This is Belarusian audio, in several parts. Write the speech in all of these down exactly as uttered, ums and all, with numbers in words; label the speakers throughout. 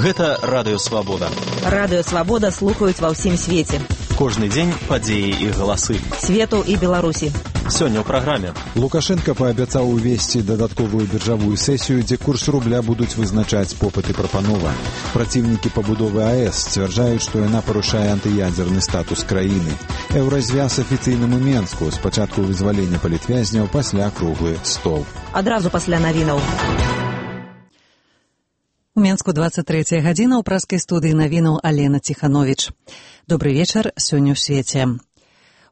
Speaker 1: Гэта Радыё Свабода.
Speaker 2: Радыё Свабода слухаюць ва ўсім свеце.
Speaker 1: Кожны дзень падзеі і галасы.
Speaker 2: Свету і Беларусі.
Speaker 1: Сёння ў праграме.
Speaker 3: Лукашенко паабяцаў увесці дадатковую біржавую сесію, дзе курс рубля будуць вызначаць попыт і прапанова. Праціўнікі пабудовы АЭС сцвярджаюць, што яна парушае антыядзерны статус краіны. Еўразвяз афіцыйным у Менску. Спачатку вызвалення палітвязняў, пасля круглы стол.
Speaker 2: Адразу пасля навінаў.
Speaker 4: У Менску двадцать третья гадзіна, ў праскай студыі навінаў Алена Ціхановіч. Добры вечар, сёння ў свеце.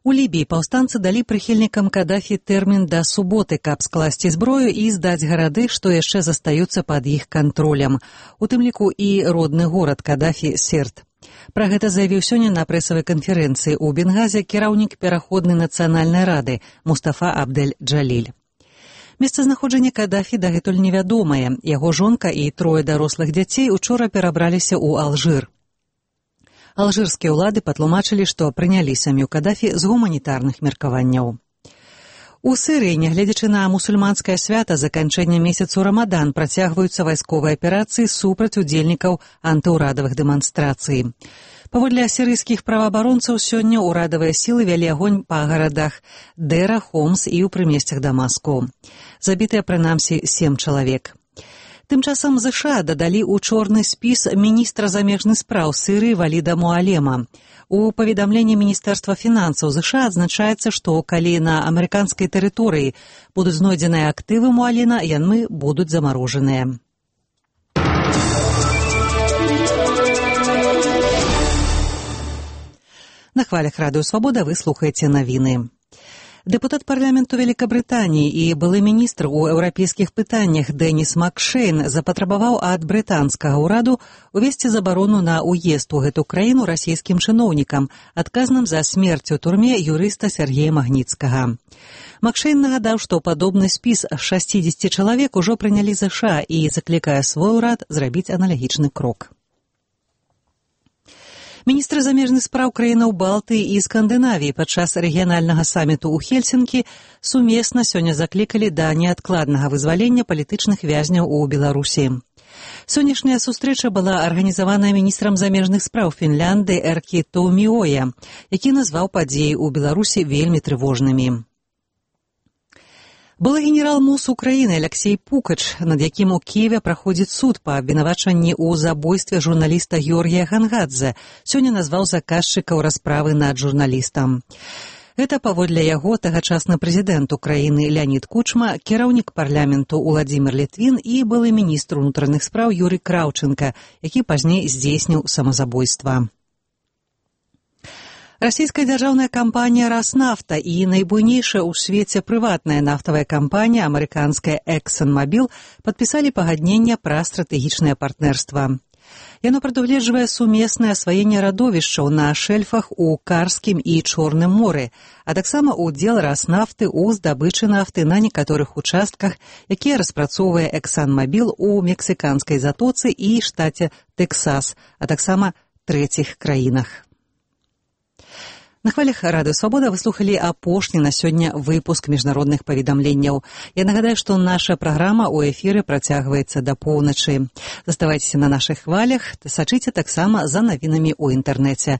Speaker 4: У Лібіі паўстанцы далі прыхільнікам Кадафі тэрмін да суботы, каб скласці зброю і здаць гарады, што яшчэ застаюцца пад іх кантролем. У тым ліку і родны горад Кадафі Серт. Пра гэта заявіў сёння на прэсавай канферэнцыі ў Бенгазе кіраўнік пераходнай нацыянальнай рады Мустафа Абдель-Джаліль. Месцазнаходжанне Кадафі дагэтуль невядомае. Яго жонка і трое дарослых дзяцей учора перабраліся ў Алжыр. Алжырскія ўлады патлумачылі, што прынялі сям'ю Кадафі з гуманітарных меркаванняў. У Сірыі, нягледзячы на мусульманскае свята заканчэння месяцу Рамадан, працягваюцца вайсковыя аперацыі супраць удзельнікаў антыўрадавых дэманстрацый. Паводле сірыйскіх праваабаронцаў, сёння ўрадавыя сілы вялі агонь па гарадах Дэра, Хомс і ў прымесцях Дамаску. Забітыя прынамсі сем чалавек. Тым часам ЗША дадалі ў чорны спіс міністра замежных спраў Сірыі Валіда Муалема. У паведамленні Міністэрства фінансаў ЗША адзначаецца, што калі на амерыканскай тэрыторыі будуць знойдзеныя актывы Муалема, яны будуць замарожаныя. На хвалях Радыё Свабода вы слухаеце навіны. Дэпутат парламенту Великабрытаніі і былы міністр у еўрапейскіх пытаннях Дэніс Макшейн запатрабаваў ад брытанскага ўраду увесці забарону на ўезд у гэту краіну расійскім чыноўнікам, адказным за смерць у турме юрыста Сергея Магніцкага. Макшейн нагадаў, што падобны спіс шасцідзесяці чалавек ужо прынялі ЗША і заклікае свой урад зрабіць аналагічны крок. Міністры замежных спраў краінаў Балтыі і Скандынавіі падчас рэгіянальнага саміту ў Хельсінкі сумесна сёння заклікалі да неадкладнага вызвалення палітычных вязняў у Беларусі. Сённяшняя сустрэча была арганізаваная міністрам замежных спраў Фінляндыі Эркі Туоміоя, які назваў падзеі ў Беларусі вельмі трывожнымі. Былы генерал МОЗ Украіны Алексей Пукач, над якім у Киеве праходзіць суд па абвінавачанні ў забойстве журналіста Георгія Гангадзе, сёння назваў заказчыкаў расправы над журналістам. Гэта паводле яго тагачасны прэзідэнт Украіны Леонід Кучма, кіраўнік парламенту Уладзімір Літвін і былы міністр унутраных спраў Юрый Краўченка, які пазней здзейсніў самазабойства. Расійская дзяржаўная кампанія «Роснафта» і найбуйнейшая ў свеце прыватная нафтавая кампанія амерыканская «Эксон-Мобил» падпісалі пагадненне пра стратэгічнае партнерства. Яно прадугледжвае сумеснае асваенне радовішчаў на шэльфах у Карскім і Чорным моры, а таксама ўдзел «Роснафты» ў здабычы нафты на некаторых участках, якія распрацоўвае «Эксон-Мобил» у мексіканскай затоцы і штаце Тэксас, а таксама трэціх краінах. На хвалях Радыё Свабода вы слухалі апошні на сёння выпуск міжнародных паведамленняў. Я нагадаю, што наша праграма ў эфіры працягваецца да поўначы. Заставайцеся на нашых хвалях, сачыце таксама за навінамі ў інтэрнэце.